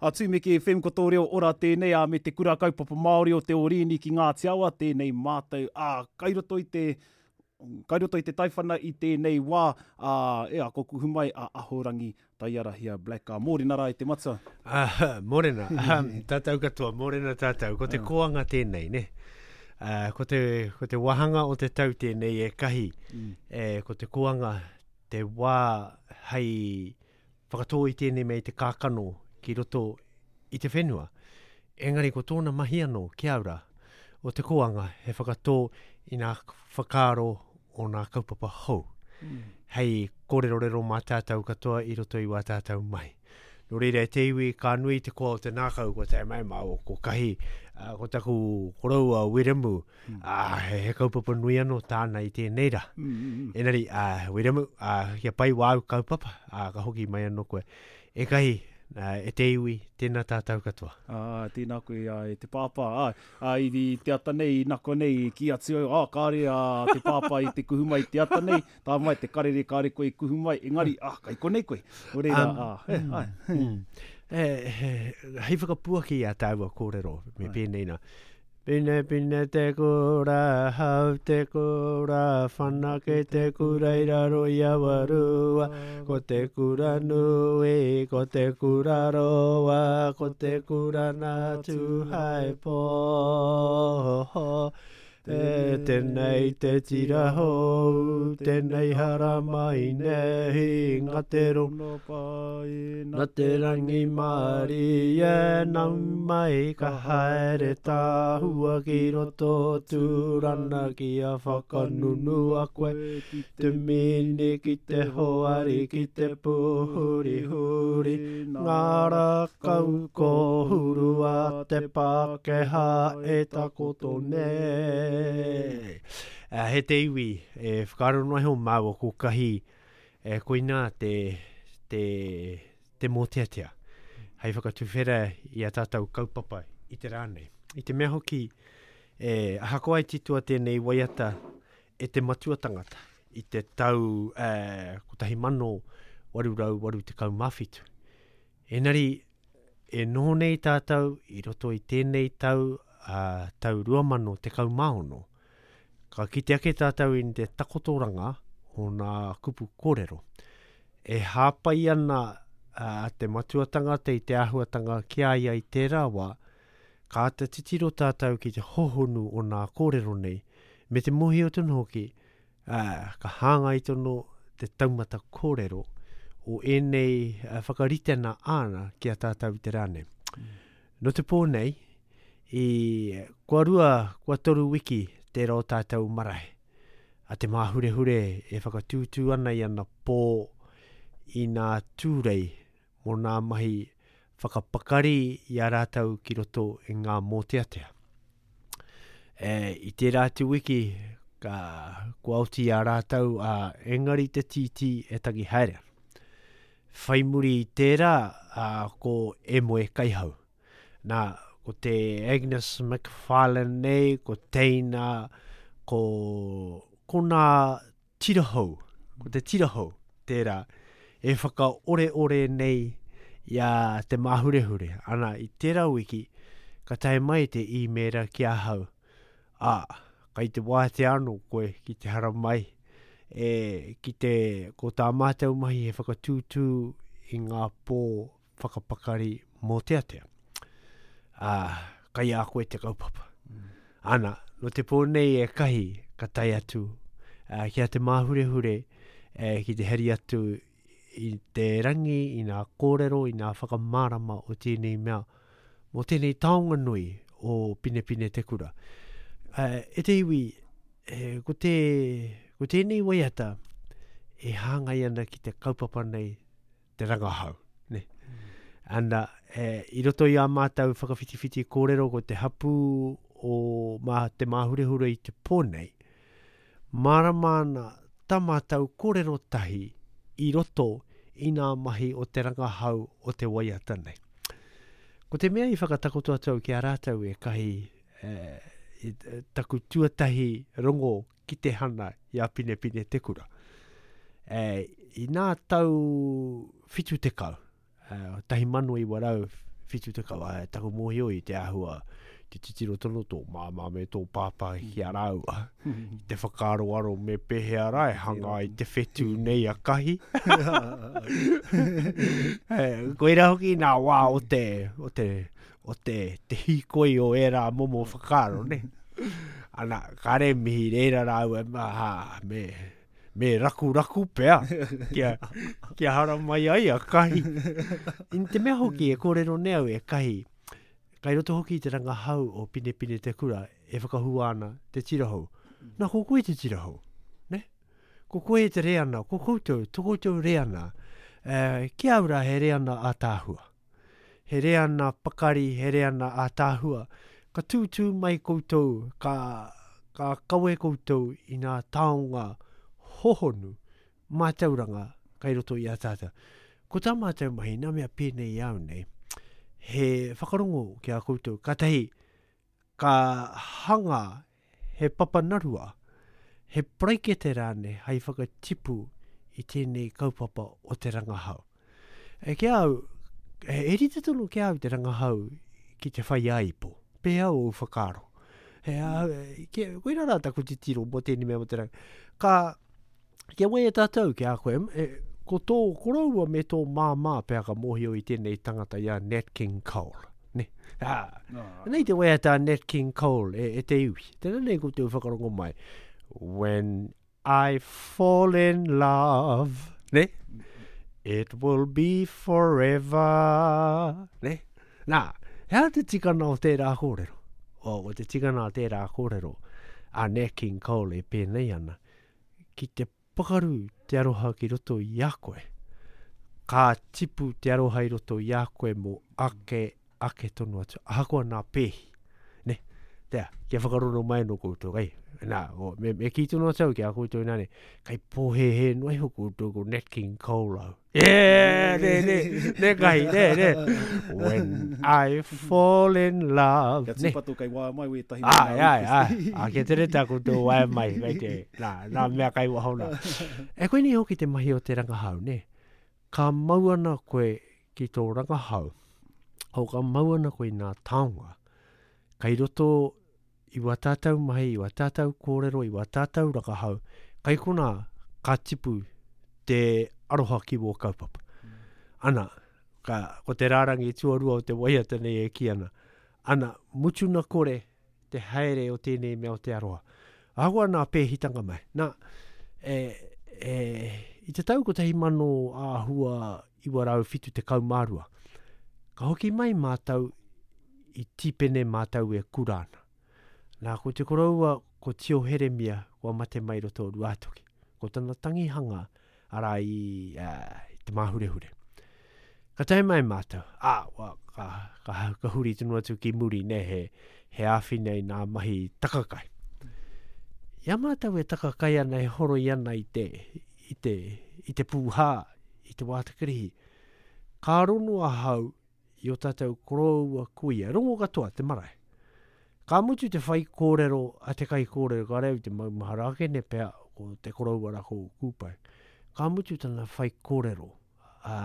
A Tumeke FM ko tō reo ora tēnei, ā, me te Kura Kaupapa Māori o Te Ōrīni ki Ngāti Awa tēnei mātou, ā, kai roto i te, kai roto i te taiwhana i tēnei wā, ā, e ako kuhu mai a Ahorangi Taiarahia Black, ā, mōrena rā e te matua. Ā, mōrena, tātou katoa, mōrena tātou, ko te koanga tēnei, nē? Ā, ko te, ko te wāhanga o te tau tēnei e kahi, mm. e, ko te koanga te wā hei whakatō i tēnei mea i te kākano ki roto i te whenua. Engari ko tōna mahi anō ki au rā, o te kōanga he whakatō i nā whakaaro o nā kaupapa hou, mm. hei kōrerorero mā tātou katoa i roto i wā tātou mahi. Nō reira e te iwi, ka nui te koa o te nākau, ko te mai mā o ko kahi, uh, ko taku koroua Wiremu, mm. uh, he, he kaupapa nui anō tāna i tēnei rā. Mm, mm, mm. Engari, uh, Wiremu, uh, kia pai wāu kaupapa, uh, ka hoki mai anō koe. E kahi, uh, e te iwi, tēnā tātou katoa. Ā, tēnā koe, ā, e te pāpā. Ā, ā, i, i te ata nei, i nako nei, i kī atu au, ā, kāre a te pāpā i te kuhu mai i te ata nei, tā mai te karere kāre koe i kuhu mai, engari, ā, kai konei koe. Nō reira, ā, he, āe. Mm. E, he, hei whakapuaki i a tāua kōrero, me pēnei nā. Pine pine te kura, hau te kura, whanake te kura i raro i Awarua, ko te kura nui, ko te kura roa, ko te kura nā Tūhaepō. E, tenei te tira hou, tenei haramai nei, nga te rongo pai, na te rangimārie, nau mai ka haere tāhua ki roto tūrana kia whakanunua koe, ki te mini, ki te hoari, ki te pūhurihuri, ngā rākau kōhuru a te Pākehā e takoto nei. He te iwi e whakaaro noa iho māua ko kahi e koinā te, te, te mōteatea hei whakatuwhera i a tātou kaupapa i te rā nei. I te mea hoki, e, ahakoa i titoa tēnei waiata e te matua tangata i te tau e, 1887. Engari, e noho nei tātou i roto i tēnei tau, a, tau 2016, ka kite ake tātou i te takotoranga o nā kupu kōrero. E hāpai ana a, te matua tangata i te āhuatanga ki a ia i tērā wā, ka āta titiro tātou ki te hohonu o nā kōrero nei, me te mōhio tonu hoki, ā, ka hāngai tonu te taumata kōrero o ēnei whakaritenga āna ki a tātou i te rā nei. Mm. Nō te pō nei, i, kua rua, kua toru wiki tērā o tātou marae, a Te Māhurehure e whakatūtū ana i ana pō i nā tūrei mō nā mahi whakapakari i a rātou ki roto i ngā mōteatea. E, i tērā atu wiki, ka, kua oti i a rātou, a, engari te tītī e tangi haere. Whai muri i tērā, a, ko E Moe Kaihau. Nā, ko te Agnes McFarlane nei, ko Teina, ko, ko nā tira hou, ko te tira hou tērā e whakaoreore nei i a Te Māhurehure. Ana, i tērā wiki, ka tae mai te īmēra ki ahau, ā, kai te wātea anō koe ki te haramai, e, ki te, ko tā mātou mahi he whakatūtū i ngā pō whakapakari mōteatea. Ā, kai a koe te kaupapa. Mm. Ana, no te pō nei e kahi ka tae atu uh, ki a Te Māhurehure eh, ki te hari atu i te rangi, i nā kōrero, i nā whakamārama o tēnei mea, mō tēnei taonga nui o Pinepine Te Kura. Uh, e te iwi, eh, ko, te, ko tēnei waiata e hāngai ana ki te kaupapa nei te rangahau. Ne? Ana, e, i roto i ā mātou whakawhitiwhiti kōrero ko te hapū o mā, te māhurehure i te pō nei, mārama ana tā mātou kōrero tahi i roto i nā mahi o te rangahau o te waiata nei. Ko te mea i whakatakoto atu au ki a rātou e kahi e, i, taku tuatahi rongo ki te hana i a Pinepine Te Kura. E, i nā tau 70, e, 70, ā, taku mōhio i te āhua, te titiro tonu tō māmā me tō pāpā ki a rāua, i te whakaaroaro me pēhea rā e hanga ai te whetū nei a Kahi. Koirā hoki nā wā o te, o te, o te, te hīkoi o ērā momo whakaaro, ne? Ana, kāre mihi reira rāua, ha, me, me rakuraku pea kia, kia haramai ai a Kahi. In te mea hoki e kōrero nei au e Kahi, kai roto hoki i te rangahau o Pinepine Te Kura e whakahua ana te tirahou. Nā, ko koe te tirahou, ne? Ko koe te reana, ko koutou, to koutou reana, eh, ki au rā he reana ātaahua. He reana pakari, he reana ātaahua. Ka tūtū mai koutou, ka, ka kawe koutou i ngā taonga hohonu, mātauranga kai roto i a tātou. Ko tā mātou mahi, nā mea pēnei i au nei, he whakarongo ki a koutou, kātahi ka hanga he papanarua, he paraikete rānei hai whakatipu i tēnei kaupapa o te rangahau. E ki a au, e rite tonu ki a au te rangahau ki te whaiāipo. Pēhea ōu whakaaro? He, ki, koirā rā taku titiro mō tēnei mea mō te rangahau. Ka, Kia waia tātou ki a koe, e, ko tō koroua me tō māmā pea ka mōhio i tēnei tangata i a Nat King Cole. Ne? Ah, no. Nei te waiata a Nat King Cole e, e te iwi. Tēnā nei koutou whakarongo mai. When I fall in love, ne? It will be forever. Ne? Nā, he aha te tikana o tērā kōrero? O, ko te tikana o tērā kōrero a Nat King Cole e pēnei ana. Ki te pakaru te aroha ki roto i a koe, ka tipu te aroha i roto i a koe mō ake, ake tonu atu, ahakoa nā pēhi. Ne? Tea, kia whakarono mai anō koutou, kai. Nā, o, me, me kī tonu atu au ki a koutou nā ne, kai pōhēhē noa iho koutou ko Nat King Cole au. Yeah, ne, ne, ne kahi, ne, ne. When I fall in love. Kia tūpato kei waea mai wētahi mō ngā Ai, ai, ai. A, kia tere tā koutou waea mai, kei te, nā, nā mea kai waho nā. E koinei hoki te mahi o te rangahau, ne? Ka mau ana koe ki tō rangahau, o ka mau ana koe i nā taonga, kai roto i wā tātou mahi, i wā tātou kōrero, i wā tātou rangahau, kai konā ka tipu te aroha ki wō kaupapa. Mm. Ana, ka, ko te rārangi tuarua o te waiata nei e kī ana, ana, mutuna kore te haere o tēnei mea o te aroha. Ahakoa nā pēhitanga mai. Nā, e, e, i te tau 1972, ka hoki mai mātou i Tīpene mātou e kura ana. Nā, ko te koroua, ko Tio Heremia, kua mate mai roto o Ruātoki. Ko tana tangihanga, arā i, uh, i Te Māhurehure. Ka tae mai mātou, ā, wa, ka, ka, ka huri tonu atu ki muri, ne, he, he āwhina i nā mahi takakai. I a mātou e takakai ana, e horoi ana i te, i te, i te pūhā, i te wātakirihi, ka rono ahau i o tātou koroua kuia, rongo katoa te marae. Ka mutu te whaikōrero a te kaikōrero, ka reo i te maumahara ake ne pea ko te koroua ra ko Kūpai. Ka mutu tana whaikōrero, ā,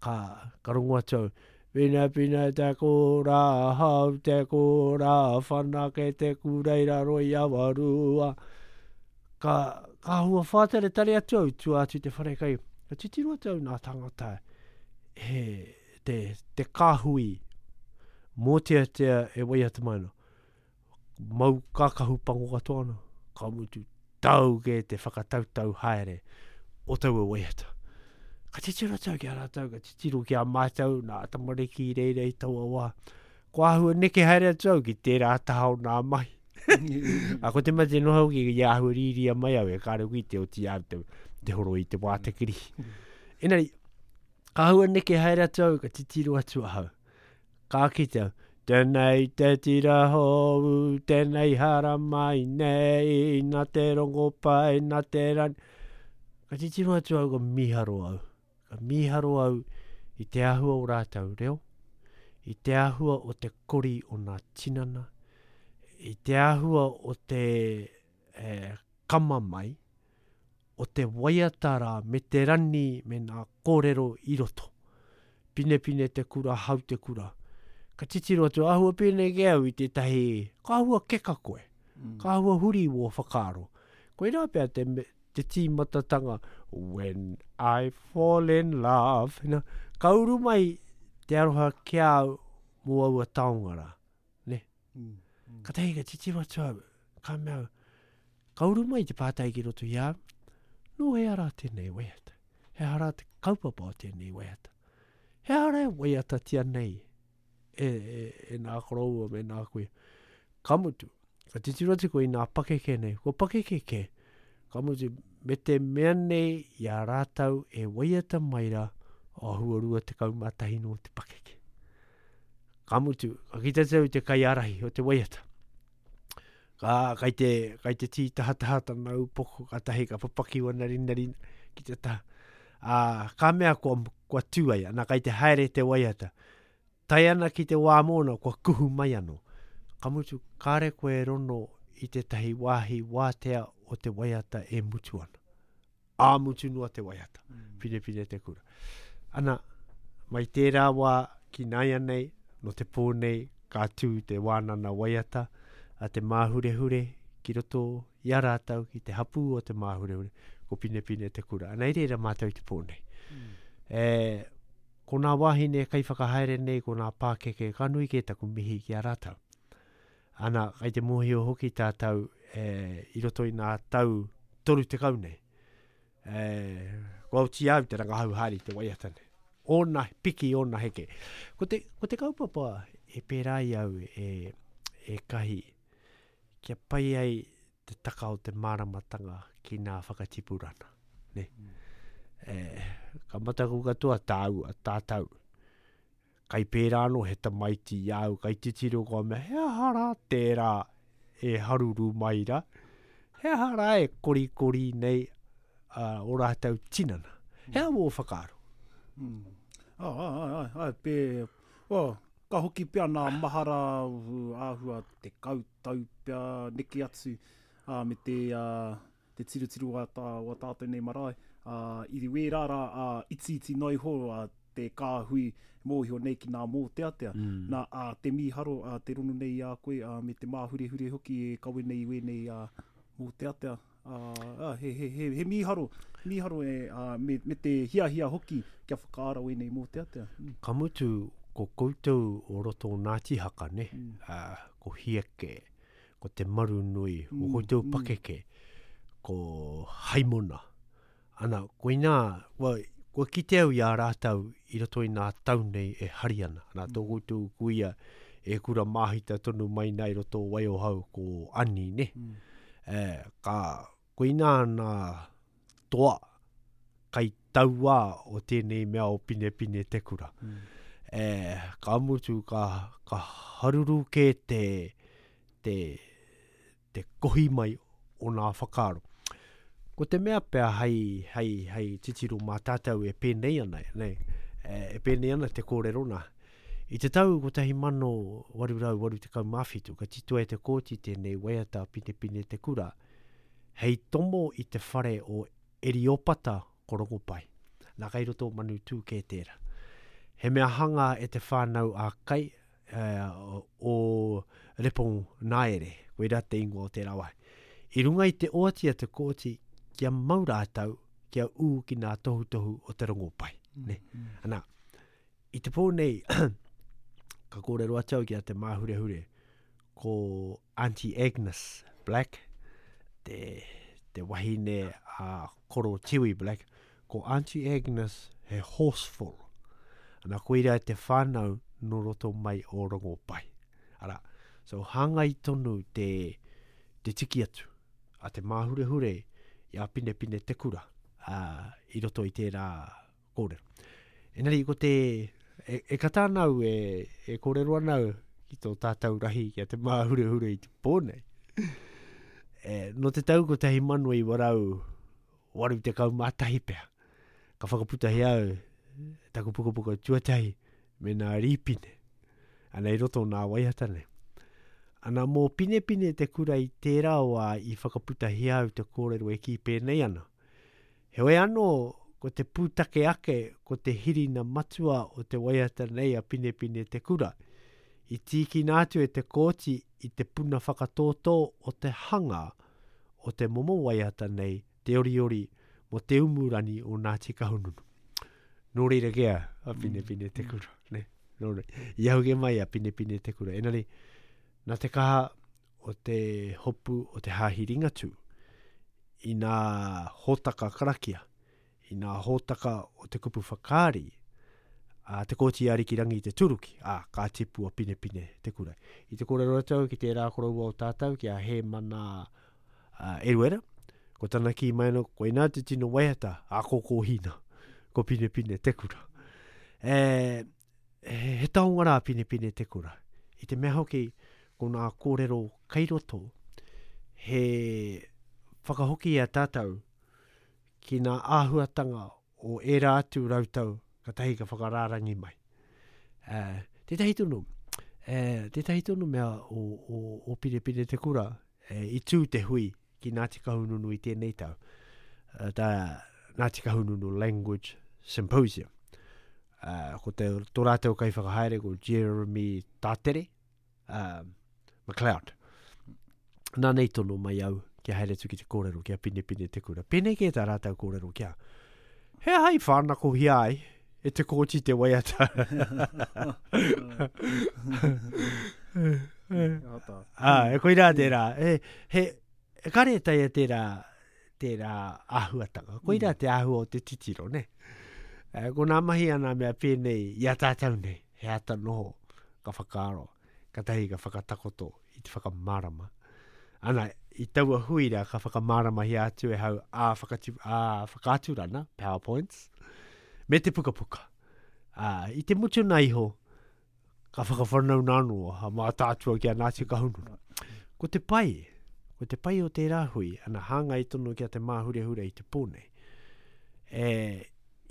ka, ka rongo atu au, Pina pina te kura hau te kura whanake te kura i raro i Awarua. Ka, ka hua whātaretare atu au tua atu i te wharekai. Ka titiro atu au nā tangata he, te, te kāhui mōteatea e waiata mai ana. Mau kākahu pango katoa ana, ka mutu tau kē te whakatautau haere o taua waiata. Ka titiro atu ki a rātou, ka titiro ki a mātou, nā tamariki i reira i taua wā. Ko āhua neke haere atu au ki tērā taha o nā mahi. A ko te mate noa hoki i āhua rīria mai au e kāre hoki te oti au te, te horo i te wātakiri. Engari, ka hua neke haere atu au, ka titiro atu ahau. Ka kite au, Tēnei te tira hou, tēnei haramai nei, nā te rongopai, nā te rani. Ka titiro atu au, ka mīharo au. Ka mīharo au i te āhua o rātou reo, i te āhua o te kori o nā tinana, i te āhua o te eh, kama mai, o te waiata rā me te rani me nā kōrero i roto. Pinepine te kura, hau te kura. Ka titiro atu, āhua pēnei kē au i tētahi, ka āhua keka koe, mm. ka āhua huri wō whakaaro. Koirā pea te, te tīmatatanga, when I fall in love, you know, ka uru mai te aroha ki a au mō aua taonga rā. Ne? Mm. Mm. Ka tahi ka titiro atu au, ka mea au, ka uru mai te pātai ki roto i a au, nō hea rā tēnei waiata? He aha rā te kaupapa o tēnei waiata? He aha rā e waiatatia nei e, e, e nā koroua me nā kuia? Ka mutu, ka titiro atu koe i nā pakeke nei, kua pakeke kē, ka mutu, me te mea nei i a rātou e waiata mai rā, āhua 21 nō te pakeke. Ka mutu, ka kite atu au i te kaiārahi o te waiata. Ka, kai te, kai te tītahataha tana upoko, kātahi ka papaki wana rinarina ki te taha. Ā, ka mea kua, kua tū ai, ana kai te haere te waiata. Tae ana ki te wā mōna, kua kuhu mai anō. Ka mutu, kāre koe e rono i tētahi wāhi wātea o te waiata e mutu ana. Ā mutu noa te waiata. Mm. Pinepine te kura. Ana, mai tērā wā ki nāianei, no te pō nei, ka tū te wānana waiata a Te Māhurehure ki roto i a rātou, ki te hapū o Te Māhurehure, ko Pinepine te kura. Ana, i reira mātou i te pō nei. Mm. E, ko nā wāhine kaiwhakahaere nei, ko nā pākeke, ka nui kē taku mihi ki a rātou. Ana, kai te mōhio hoki tātou e, i roto i nā tau 30 nei. E, kua oti au te rangahau haere i te waiata nei. Ōna piki, ōna heke. Ko te, ko te kaupapa e pērā i au e, e kahi, kia pai ai te taka o te māramatanga ki nā whakatipurana. Ne? Mm. E, ka mataku katoa tāua, tātau. Kai pērā anō he tamaiti i a au, kai titiro kua mea, he aha rā tērā e haruru mai rā? He aha rā e korikori nei uh, o rātou tinana? He aha wō whakaaro? Mm. Oh, ai, ai, ai, ai, pē, oh, ka hoki pea nā mahara āhua 10 tau pea neke atu uh, me te, uh, te tirotiro a tā, o a tātou nei marae, ā, i wērā rā, ā, itiiti noa iho ā, te kāhui mōhio nei ki nā mōteatea. Mm. Nā, ā, te mīharo, ā, te rono nei i a koe, ā, me te māhurehure hoki e kawe nei i wēnei ā, mōteatea. Ā, ā, he, he, he, he mīharo, mīharo e, ā, me, me te hiahia hoki kia whakaara wēnei mōteatea. Mm. Ka mutu, ko koutou o roto o Ngāti Haka, ne? Mm. Ā, ko Hieke, ko Te Marunui, ko mm, koutou mm. pakeke, ko Haimona. Ana, koinā, kua, kua kite au i a rātou i roto i nā tau nei e hari ana. Ana, tō mm. koutou kuia e kura māhita tonu mai nā i roto o Waiohau ko Ani, ne? Mm. E, ka, koinā nā toa kai tauā o tēnei mea o Pinepine te kura. Mm. E, ka mutu, ka, ka haruru kē te, te, te kohi mai o nā whakaaro. Ko te mea pea hei, hei, hei titiro mā tātou e pēnei ana, nei, e, e pēnei ana te kōrero nā. I te tau 1887, ka titoa e Te Kooti tēnei waiata a Pinepine Te Kura, hei tomo i te whare o Eriopata ko Rongopai. Nā kai roto o Manutū kē tērā. He mea hanga e te whānau a Kai o Reponaere, koirā te ingoa o tērā wāhi. I runga i te oati a Te Kooti kia mau rātou, kia ū ki nā tohutohu o te Rongopai. Mm, ne? Mm. Ana, i te pō nei, ka kōrero atu au ki a Te Māhurehure, ko Auntie Agnes Black, te, te wahine a Koro Tiwi Black, ko Auntie Agnes he horseful. Ana koira te whānau no roto mai o Rongopai. Ara, so hāngai tonu te, te tiki atu a te māhurehure i a Pinepine Te Kura uh, i roto i tērā kōrero. Engari ko te, e, e kata ana au, e, e kōrero ana au ki tō tātou rahi ki a te māhurehure i te pō nei. E, nō te tau 1981 pea, ka whakaputahi au taku pukapuka tuatahi me nā rīpine. Ana i roto nā waiata nei. Ana mō Pinepine te kura i tērā wā i whakaputahia au te kōrero e kī pēnei ana. Heoi anō, ko te pūtake ake, ko te hirina matua o te waiata nei a Pinepine Te Kura, i tīkina atu e Te Kooti i te puna whakatōtō o te hanga o te momo waiata nei, te oriori mō Te Umurani o Ngāti Kahungunu. Nō reira kē a Pinepine Te Kura, nē? Nō reira, i ahu kē mai a Pinepine Te Kura. Engari, nā te kaha o te hopu o te Hāhi Ringatū i nā hōtaka karakia, i nā hōtaka o te kupu whakaari a Te Kooti Arikirangi Te Turuki, ā, ka tipu a Pinepine Te Kura. I te kōrero atu au ki tērā koroua o tātou, ki a Hēmana Eruera, ko tana kī mai anō, koinā te tino waiata a Kōkōhina, ko Pinepine Te Kura. E, he taonga rā Pinepine Te Kura. I te mea hoki, ko nā kōrero kei roto, he whakahoki i a tātou ki nā āhuatanga o ērā atu rautau katahi ka whakarārangi mai. Uh, tētahi tonu, uh, tētahi tonu mea o, o, o Pinepine Te Kura, uh, i tū te hui ki Ngāti Kahungunu i tēnei tau, uh, tā Ngāti Kahungunu Language Symposium. Uh, ko te, tō rātou kaiwhakahaere ko Jeremy Tātere, uh, McLeod. Nā nei tono mai au kia haere atu ki te kōrero kia Pinepine Te Kura. Pēnei kē tā rātou kōrero kia. He aha i whānakohia ai e te kōti te waiata? Ah, e koirā tērā. E, he, e kare e taea tērā, tērā āhuatanga. Koirā mm. te āhua o te titiro, ne? E, ko nā mahi ana mea pēnei i a tātou nei, he ata noho, ka whakaaro, katahi ka whakatakoto i te whakamārama. Ana, i taua hui rā, ka whakamāramahia atu e hau ā, whakatu, ā whakaaturana, PowerPoints, me te pukapuka. Ā, i te mutuna iho, ka whakawhanauna anō a Mātaatua ki a Ngāti Kahungunu. Ko te pai, ko te pai o tērā hui, ana hāngai tonu ki a Te Māhurehure i te pō nei, e,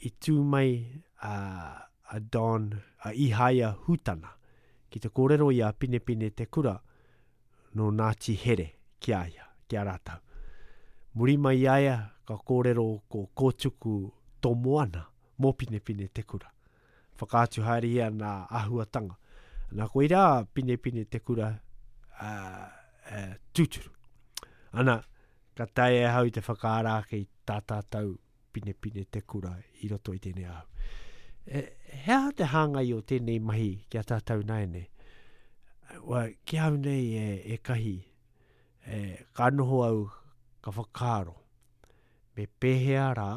i tū mai a, a Don, a Ihaia Hutana, ki te kōrero i a Pinepine Te Kura nō Ngāti Here ki a ia, ki a rātou. Muri mai i a ia, ka kōrero ko Kōtuku Tomoana mō Pinepine Te Kura. Whakaatu haerehia nā āhuatanga. Nā koirā Pinepine Te Kura uh, tūturu. Ana, ka taea e ahau te whakaara ake i tā tātou Pinepine Te Kura i roto i tēnei āhu. E, he aha te hāngai o tēnei mahi ki a tātou nāianei? Wa, ki au nei e, e kahi, e, ka noho au, ka whakaaro, me pēhea rā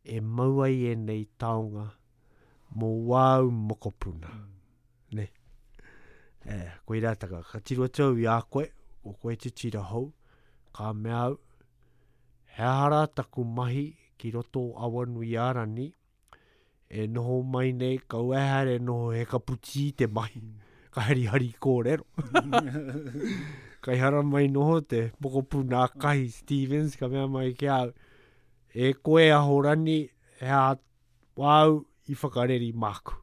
e mau ai ēnei taonga mō wāu mokopuna. Mm. Ne? E, koirā taka, ka tiro atu au i a koe, ko koe te tira hou, ka mea au, he aha rā taku mahi ki roto o Awanuiārani, e noho mai nei, kaua e haere noho he kaputī te mahi, ka harihari kōrero. Kai hara mai noho te mokopuna a Kahi Stevens, ka mea mai ki au, E koe Ahorani, he aha wāu i whakareri māku?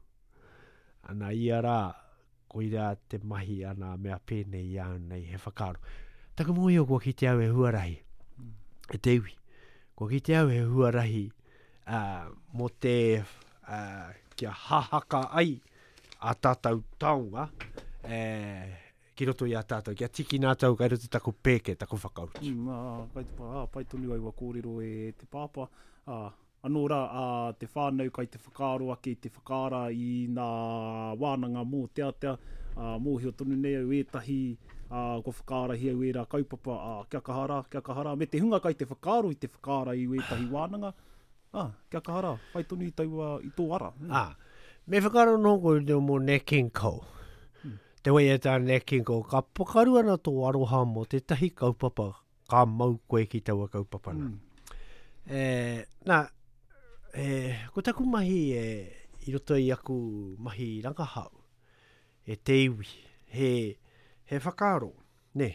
Ana ia rā, koirā te mahi a nā mea pēnei i a au nei, he whakaaro. Taku mōhio kua kite au he huarahi e te iwi. Kua kite au he huarahi uh, mō te uh, kia hahaka ai a tātou taonga eh, ki roto i a tātou, kia tikina atu au kai roto taku pēke, taku whakautu. Mm, ā, kai te, ā, pai tonu aua kōrero e te pāpā. Ā, anō rā, ā, te whānau kai te whakaaro ake i te whakaara i nā wānanga mōteatea, ā, mōhio tonu nei au ētahi, ā, kua whakaarahia au ērā kaupapa, ā, kia kaha rā, kia kaha rā. Me te hunga kai te whakaaro i te whakaara i wētahi wānanga, Ā, kia kaha rā, whai tonu i taua, i tō ara. Ā, me whakaaro noho koutou mō Nat King Cole. Mm. Te waiata a Nat King Cole, ka pakaru ana tō aroha mō tētahi kaupapa, ka mau koe ki taua kaupapa nā. Mm. E, nā, e, ko taku mahi e, i roto i aku mahi rangahau, e te iwi, he, he whakaaro, nē,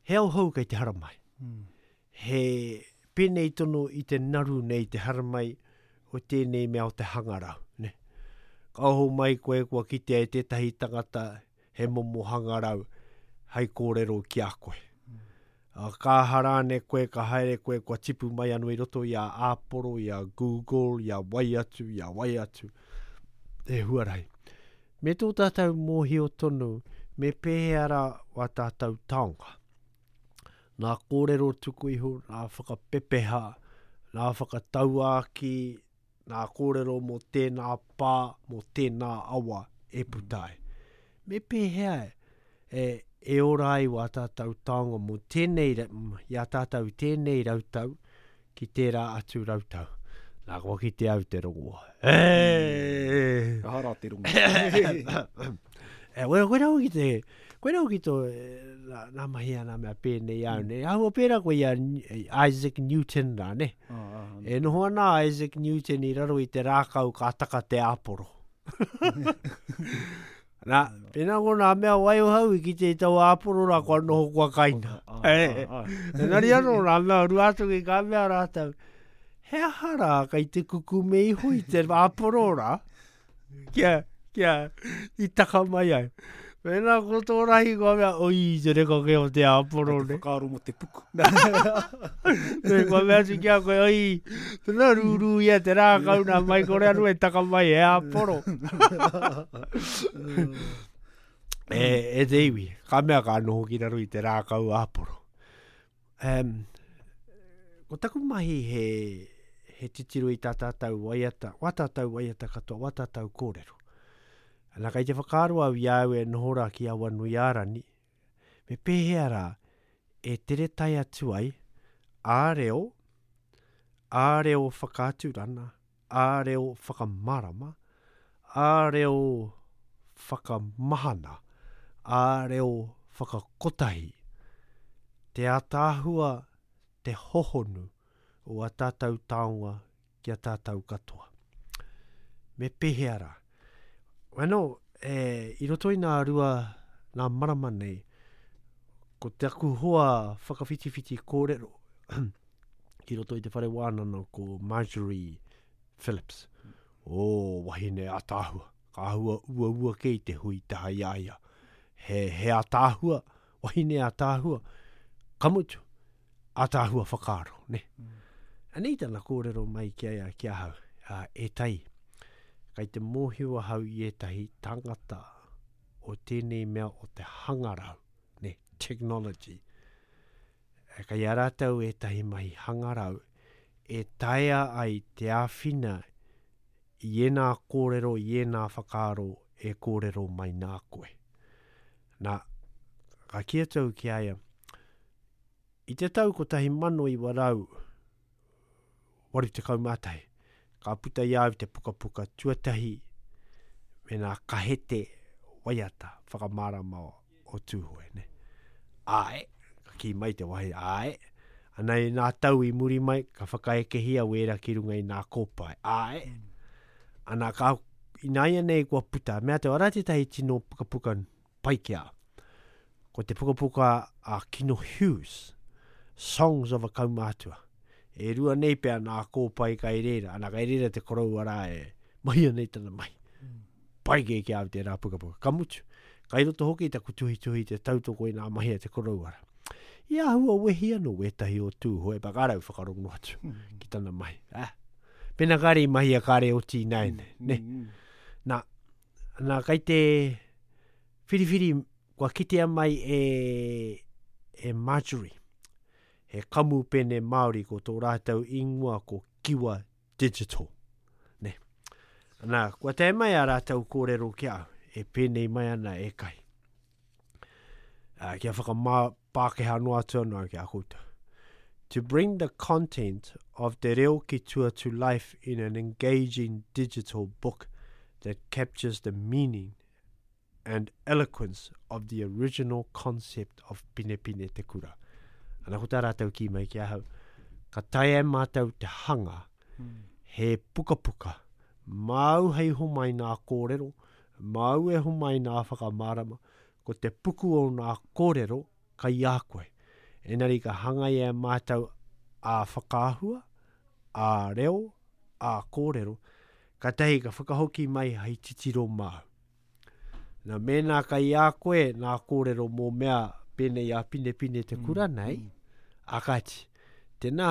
he ao hou kei te haramai. Mm. He pēnei tonu i te naru nei te haramai o tēnei mea o te hangarau, ne? Ka oho mai koe kua kitea e tētahi tangata he momo hangarau hai kōrero ki a koe. Ka aha rāne koe, ka haere koe, kua tipu mai anō i roto i a Āporo, i a Google, i a wai atu, i a wai atu. He huarahi. Me tō tātou mōhio tonu, me pēhea rā wā tātou taonga. Nā kōrero tuku iho, nā whakapepeha, nā whakatauākī, nā kōrero mō tēnā pā, mō tēnā awa e puta ai. Me pēhea e, e ora ai wā tātou taonga mō tēnei, i a tātou i tēnei rautau ki tērā atu rautau. Nā, kua kite au te rongoa. E! Aha rā te rongo. e, koe, koe rau ki te, koe rau ki tō, nā, nā mahi a nā mea pēnei au, mm. ne? Ahua pērā koe i a Isaac Newton rā, ne? E noho ana a Isaac Newton i raro i te rākau ka taka te āporo. Nā, pēnā ko nā mea waiohau i kite i taua āporo rā kua noho kua kaina. Engari anō nā mea Ruātoki ka mea rātou, he aha rā kei te kukume iho i te āporo rā? Kia, kia, i taka mai ai. Mēnā ko tō rahi kua mea, oi, te reka kē o te āporo ne. Te whakaaro mō te puku. Me kua mea atu ki a koe, oi, tēnā rūrū ia te rākau nā mai kore anō e taka mai he āporo. e, e te iwi, ka mea ka noho ki raro i te rākau āporo. Um, ko taku mahi he, he titiro i tā tātou waiata, wā tātou waiata katoa, wā tātou kōrero. Ana kei te whakaaro au i a au e noho rā ki Awanuiārani, me pēhea rā e tere tae atu ai ā reo, ā reo whakaaturana, ā reo whakamārama, ā reo whakamahana, ā reo whakakotahi, te ātaahua, te hohonu o ā tātou taonga ki a tātou katoa. Me pēhea rā? Ano, e, i roto i nā rua, nā marama nei, ko taku hoa whakawhitiwhiti kōrero, ki roto i te whare wānana ko Marjorie Phillips. O, oh, wahine ataahua. Ka ahua uaua kē i te hui taha i a ia. He, he ataahua, wahine ataahua, ka mutu, ataahua whakaaro, ne? Mm. Anei tana kōrero mai ki a, ki ahau, a, e tai, kai te mōhio ahau i ētahi tangata o tēnei mea o te hangarau, ne, technology, Kei a rātou ētahi mahi hangarau e taea ai te āwhina i ēnā kōrero, i ēnā whakaaro e kōrero mai nā koe. Nā, ka kī atu au ki a ia, i te tau 1900, 81, ka puta i a au te pukapuka tuatahi me nā kahete waiata whakamārama o Tūhoe. Ne? Āe, ka kī mai te wahi, āe. Ana i nā tau i muri mai, ka whakaekehia wēra ki runga i nā kōpae. Āe. Ana ka, ināianei kua puta, mea te ora tētahi tino pukapuka pai ki a. Ko te pukapuka a Kino Hughes, Songs of a Kaumātua. E rua nei pea nā kōpae kai reira, ana kai reira te koroua rā e mahia nei tana mahi. Mm. Pai kē ki a au tērā pukapuka. Ka mutu, kai roto hoki taku tuhituhi te tautoko i nā mahi a te koroua rā. I āhua wehi anō wētahi o Tūhoe, pa ka rau whakarongo atu mm. ki tana mahi. Ah. Pena kāre i mahia kāre oti ināianei, mm. ne? Mm. Nā, nā, kai te whiriwhiri kua kitea mai e, e Marjorie, he kamupene Māori ko tō rātou ingoa ko Kiwa Digital. Ne. Nā, kua tae mai a rātou kōrero ki au, e pēnei mai ana e kai. Uh, kia whakamā Pākehā noa atu anō au ki a koutou. To bring the content of Te Reo ki Tua to life in an engaging digital book that captures the meaning and eloquence of the original concept of Pinepine Te Kura. Ana ko tā rātou kī mai ki ahau, ka taea e mātou te hanga he pukapuka māu hei homai nā kōrero, māu e homai nā whakamārama, ko te puku o nā kōrero kai a koe. Engari ka hangaia e mātou ā whakaahua, ā reo, ā kōrero, katahi ka whakahoki mai hei titiro māu. Na, mēnā kai a koe nā kōrero mō mea pēnei a Pinepine te kura mm, nei, mm. A kāti, tēnā,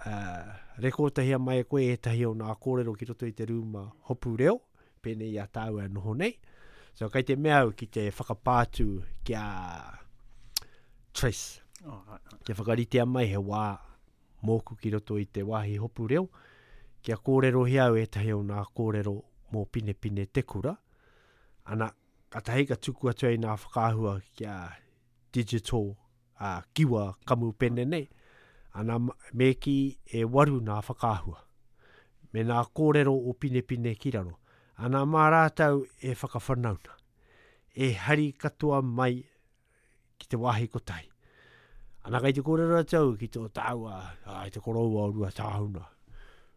uh, rekōtahia mai e koe ētahi o nā kōrero ki roto i te rūma hopu reo, pēnei i a tāua e noho nei. So, kei te mea au ki te whakapā atu ki a Trace. Oh, right, right. Kia whakaritea mai he wā mōku ki roto i te wāhi hopu reo, kia kōrerohia au ētahi o nā kōrero mō Pinepine Te Kura. Ana, katahi ka tuku atu ai nā whakaahua kia digital a kiwa kamupene nei, ana me kī e waru nā whakaahua, me nā kōrero o Pinepine ki raro. Ana mā rātou e whakawhanauna, e hari katoa mai ki te wāhi kotahi. Ana kei te kōrero atu au ki tō tāua, ai te koroua o Ruatāhuna,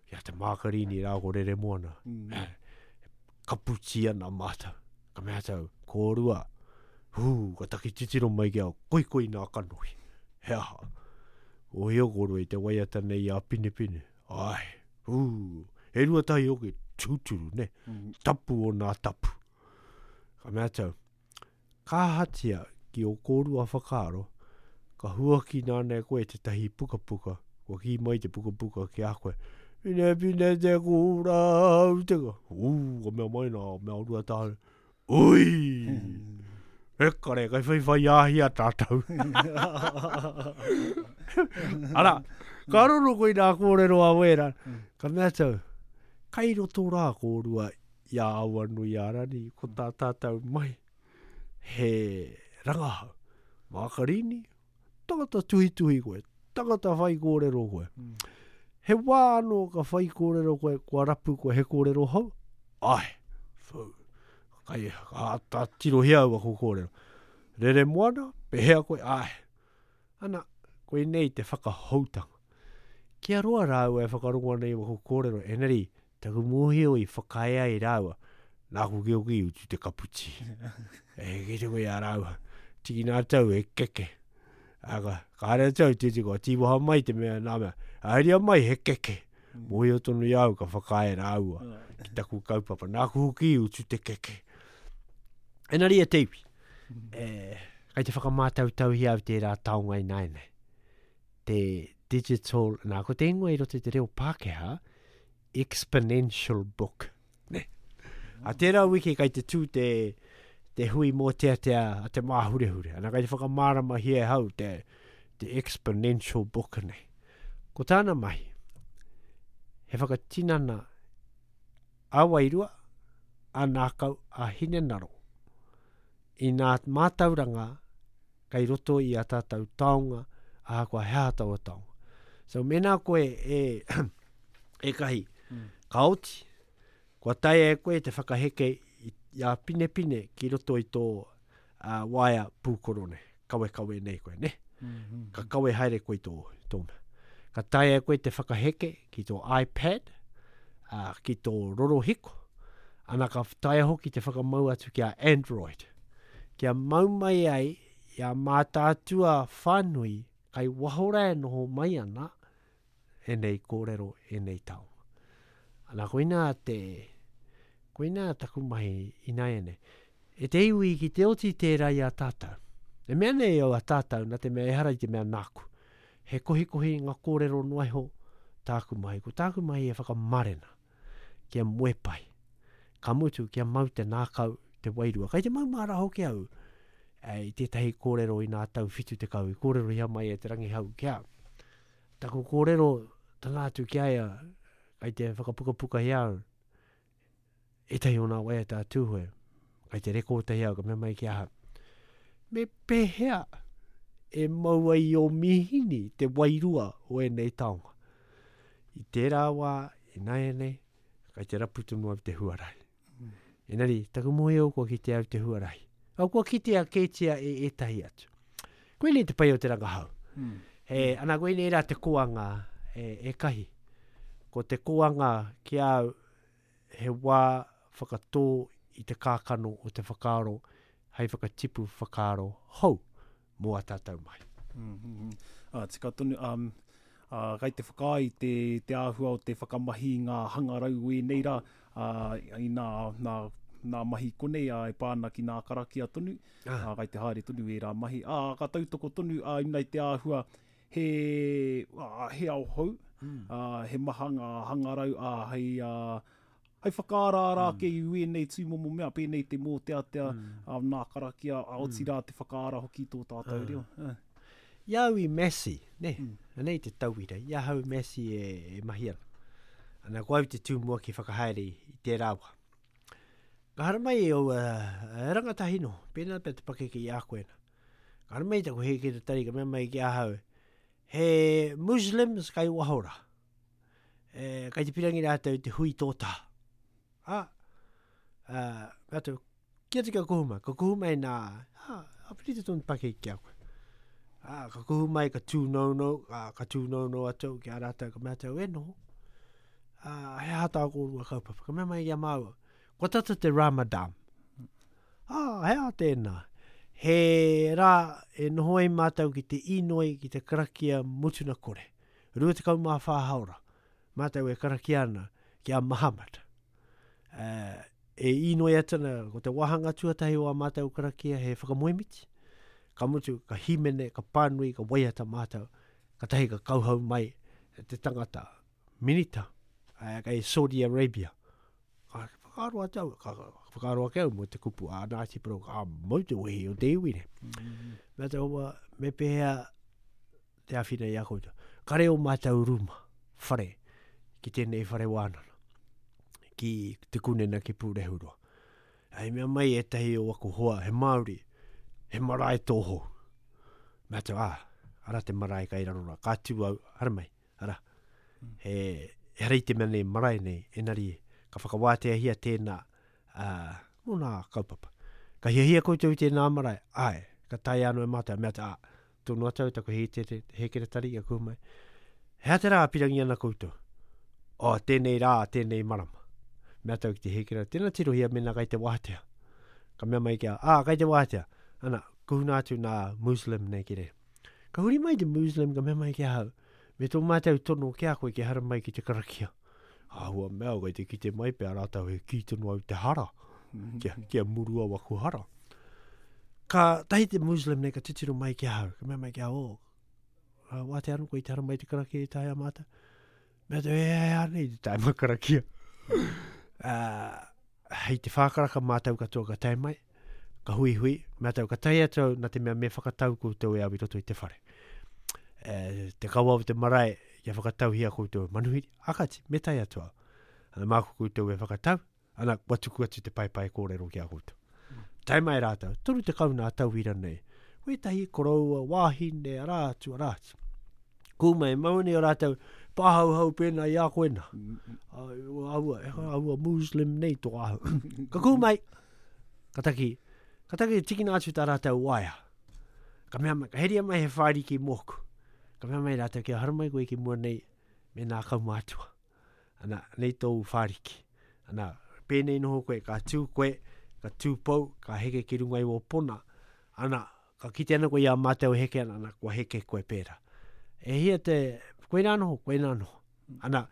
ki a Te Mākarini rā ko Reremoana. Mm. Kaputi ana mātou. Ka mea atu au, kōrua, hū, ka taki titiro mai ki au, koikoi nā kanohi. He aha? Ohio kōrua i te waiata nei a Pinepine. Ai, hū, he ruatahi hoki, tūturu, ne? Mm. Tapu o nā tapu. Ka mea atu au, Ka ahatia ki ō kōrua whakaaro, ka huakina ana e koe tētahi pukapuka, kua kī mai te pukapuka ki a koe, Pine pine te kura au te ka. Ū, ka mea mai nā mea Ruatāhuna, Ui! E kare, kai whaiwhai āhia tātou. Ara, ka roro koe i nā kōrero a wēra, ka mea atu au, kai roto rā kōrua i a Awanuiārani, ko tā tātou mahi, he rangahau. Mākarini, tangata tuhituhi koe, tangata whai kōrero koe. Mm. He wā anō ka whai kōrero koe, kua rapu koe he kōrero hou? Ai, whau. Kai, ka āta tirohia au aku kōrero. Rere moana, pehea koe? Ai. Ana, koinei te whakahoutanga. Kia roa rāua e whakarongo ana i waku kōrero, engari, Taku mōhio i whakaae ai rāua, nāku ki hoki i utu te kaputi. E kite koe i a rāua, tikina atu au he keke. A ka, kāre atu au titi kua tīwaha mai te mea nā mea, haeria mai he keke. Mōhio tonu i a au ka whakaae rāua ki taku kaupapa, nāku hoki i utu te keke. Engari e te iwi, e, kai te whakamātautauhia au tērā taonga ināianei. Te digital, nā, ko te ingoa i roto i te reo Pākehā, exponential book. Ne? A tērā wiki kai te tū te, te hui mōteatea a te māhurehure. Ana kai te whakamāramahia e hau te, te exponential book nei. Ko tāna mahi, he whakatinana a wairua, a nākau, a hinenaro i nā mātauranga kei roto i a tātou taonga, ahakoa he aha taua taonga. So mēnā koe e, e kahi, mm. ka oti, kua taea e koe te whakaheke i, i a pinepine ki roto i tō uh, waea pūkoro nei, kawekawe nei koe, ne? Mm -hmm. Ka kawe haere koe tō, tō mea. Ka taea e koe te whakaheke ki tō iPad, uh, ki tō rorohiko, ana ka taea hoki te whakamau atu ki a Android. Kia mau mai ai i a Mātaatua whānui kai waho rā e noho mai ana ēnei kōrero, ēnei taonga. Ana koinā te, koinā taku mahi ināianei. E te iwi ki te oti tērā i a tātou. E mea nei au a tātou nā te mea ehara i te mea nāku. He kohikohi i ngā kōrero noa iho tāku mahi. Ko tāku mahi e whakamarena. Kia moe pai. Ka mutu, kia mau te nākau, te wairua. Kai te mau māra hoki au e, i tētahi kōrero i nā tau 70 i kōrerohia mai e Te Rangihau ki a. Taku kōrero tana atu ki a ia, kai te whakapukapuka i au, ētahi o nā waiata a Tūhoe, kai te rekōtahi au, ka mea mai ki ahau, me pēhea e mau ai i ō mīhini te wairua o ēnei taonga? I tērā wā, ināianei, kai te rapu tonu au te huarahi. Mm. Engari, taku mōhio kua kitea au te huarahi. Au kua kitea kētia e ētahi atu. Koinei te pai o te rangahau. Mm. He, ana koinei rā te koanga e, e kahi. Ko te koanga ki a au, he wā whakatō i te kākano o te whakaaro hei whakatipu whakaaro hou mō ā tātou mahi. Mm -hmm. Ah, tika tonu, um, uh, kai te whakaae te, te āhua o te whakamahi i ngā hangarau o ēnei rā, uh, i nā, nā, nā mahi konei uh, e pā ana ki nā karakia tonu, ah. uh, kai te haere tonu ērā mahi. Uh, ka tautoko tonu uh, ina i te āhua. He, ā, he ao hou, mm. ā, he maha ngā hangarau, ā, hei, ā, hei whakaaraara mm. ake i wēnei tūmomo mea, pēnei te mōteatea, mm. ā, nā karakia, ā, otirā mm. te whakaara hoki tō tātou mm. reo. Uh. I au i Massey, ne? Mm. Anei te tauira, i ahau i Massey e, e mahi ana. Ana, ko au te tumuaki whakahaere i tērā wā. Ka haramai e aua rangatahi no, pēnā pea te pakeke i a koe na. Ka haramai taku hēkeretari ka mea mai ki ahau, he Muslims kai waho rā. E, kai te pirangi rātou te hui tōtā. A, a, mea atu, ki atu kia kuhu mai, ka kuhu mai nā, a, a piri te tonu pakeke ki a koe. A, ka kuhu mai, ka tūnounou, a, ka tūnounou atu ki a rātou, ka mea atu, e noho. A, he aha tā kōrua kaupapa, ka mea mai ki a māua, kua tata te Ramadan. Ā, he aha tēnā? He rā e noho ai mātou ki te inoi ki te karakia mutuna kore. 24 haora mātou e karakia ana ki a Muhammad. E inoi atu ana, ko te wāhanga tuatahi o ā mātou karakia he whakamoemiti. Ka mutu, ka hīmene, ka pānui, ka waiata mātou. Katahi ka kauhau mai te tangata minita kei Saudi Arabia. Ka whakaaro atu au, ka whakaaro ake au mō te kupu a Ngāti Porou, ka mau te wehi o te iwi nei. Mm -hmm. Mea te hoa, me pēhea te āwhina i a koutou. Kare o mātou ruma, whare, ki tēnei whare wānana, ki te kunena ki Pūrehuroa. Hei mea mai ētahi o aku hoa, he Māori, he marae tōhou. Mea te, ah, ara te marae kai raro rā, ka tū au, haramai, Ara, he, ehara i te mea nei marae nei, enari ka whakawāteahia tēnā ā, mō nā kaupapa. Ka hiahia koutou i tēnā marae, āe, ka taea anō e mātou, mea te, ā, tono atu au taku hēkeretari kia kuhu mai. He aha te rā pirangi ana koutou? Oh, tēnei rā, tēnei marama. Mea atu au ki te hēkeretari, tēnā tirohia mēnā kai te wātea. Ka mea mai ki a, ā, kai te wātea. Ana, kuhuna atu nā Muslim nei ki reira. Ka huri mai te Muslim ka mea mai ki ahau, me tō mātou tono ki a koe kia haramai ki te karakia. Āhua mea au kei te kite mai pea rātou he kī tonu au te hara, kia, kia murua waku hara. Ka tahi te Muslim nei ka titiro mai ki ahau, ka mea mai ki ahau, oh, wātea anō koe i te haramai te karakia i tae a mātou. Mea te, e, e, anei te taima karakia. Uh, hei te whākaraka mātou katoa ka tae mai, ka huihui, mea tau ka tae atu au, nā te mea me whakatau koutou e au i roto i te whare. E, te kawa o te marae, kia whakatauhia koutou e manuhiri, akati, me tae atu au. Ana māku koutou e whakatau, ana kua tuku atu te paepae kōrero ki a koutou. Tae mai rātou, 30 nā tauira nei, wētahi koroua, wāhine, arā atu, arā atu. Kūmai, mau nei o rātou, pāhauhau pēnā i a koe nā. Aua, aua Muslim nei tō ahu. Ka kūmai, ka taki, ka taki tikina atu tā rātou waea. Ka mea mai, ka heria mai he whāriki mōku. Ka mea mai rātou, kia haramai koe ki mua nei me nā kaumātua. Ana, nei tōu whāriki. Ana, pēnei noho koe, ka tū koe, ka tūpou, ka heke ki runga i wō pona. Ana, ka kite ana koe i a mātou e heke ana, ana, kua heke koe pērā. E hia te, koinā noho, koinā noho. Ana,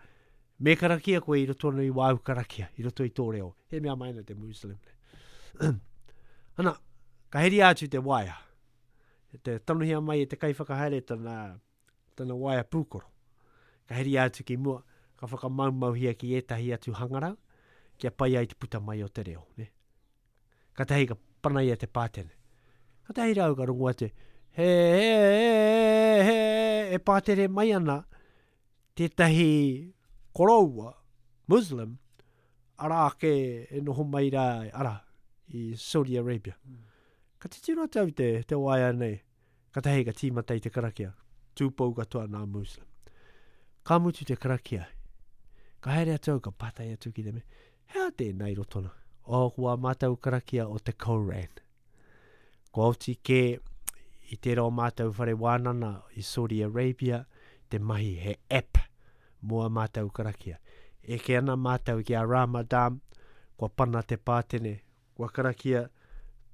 me karakia koe i roto ana i wāu karakia, i roto i tō reo. He mea mai ana te Muslim. ana, ka heria atu te waea. Te tanohia mai e te kaiwhakahaere tana, tana waea pūkoro. Ka heria atu ki mua, ka whakamaumauhia ki ētahi atu hangarau, kia pai ai te puta mai o te reo. Ne? Katahi ka panaia te pātere. Katahi rāua ka rongo atu, he, he, he, he, e pātere mai ana tētahi koroua, Muslim, arā ake e noho mai rā, arā, i Saudi Arabia. Ka titiro atu au te, te waea nei, Katahi ka tīmata i te karakia, tūpou katoa nā Muslim. Ka mutu te karakia, ka haere atu au, ka pātai atu ki te mea, he aha tēnā i roto nā? Oh, ko ā mātou karakia o te Koran. Kua oti kē i tērā o mātou whare wānana i Saudi Arabia te mahi he app mō ā mātou karakia. Eke ana mātou ki a Ramadan, kua pana te pātene, Kua karakia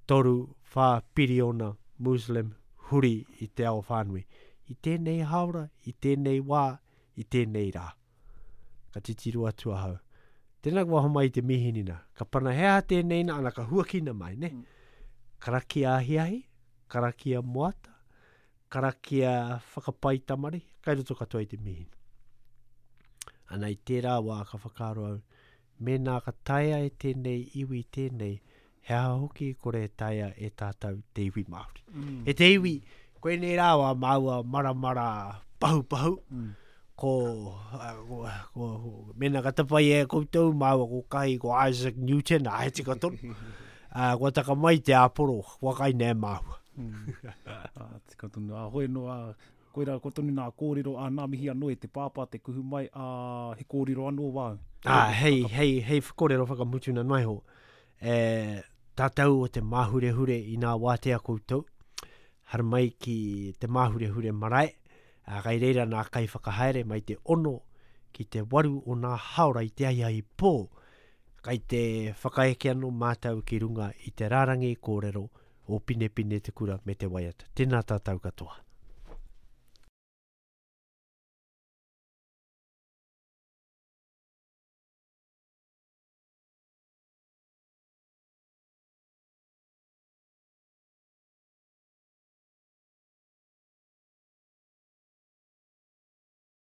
toru, whā piriona Muslim huri i te ao whānui. I tēnei haora, i tēnei wā, i tēnei rā. Ka titiro atu ahau. Tēnā kua homai i te mīhini nā. Ka pana he aha tēnei nā, ana ka huakina mai, ne? Mm. Karakia ahiahi, karakia moata, Karakia whakapai tamariki, kai roto katoa i te mihini. Ana i tērā wā ka whakaaro au, mēnā ka taea e tēnei iwi tēnei, he aha hoki i kore e taea e tātou te iwi Māori. Mm. E te iwi, koinei rā wā māua maramara pahupahu, mm. ko, ko, ko, ko mēnā ka tapai e koutou māua ko Kahi, ko Isaac Newton, a he tika tonu. Uh, kua taka mai te āporo, kua kai nē māua. Mm. Ah, tika tonu. A hoi no, a, koira ko tonu nā kōrero, a nā mihi anō e te pāpā te kuhu mai, a he kōrero anō wāu. Ah, hei, hei, hei kōrero whakamutuna noa iho. E, tātou o te māhurehure i nā wātea koutou, haramai ki te māhurehure marae, a, kai reira nā kaiwhakahaere mai te ono ki te waru o nā haora i te ahiahi pō, Kai te whakaeke anō mātou ki runga i te rārangi kōrero o Pinepine te Kura me te Waiata. Tēnā tātou katoa.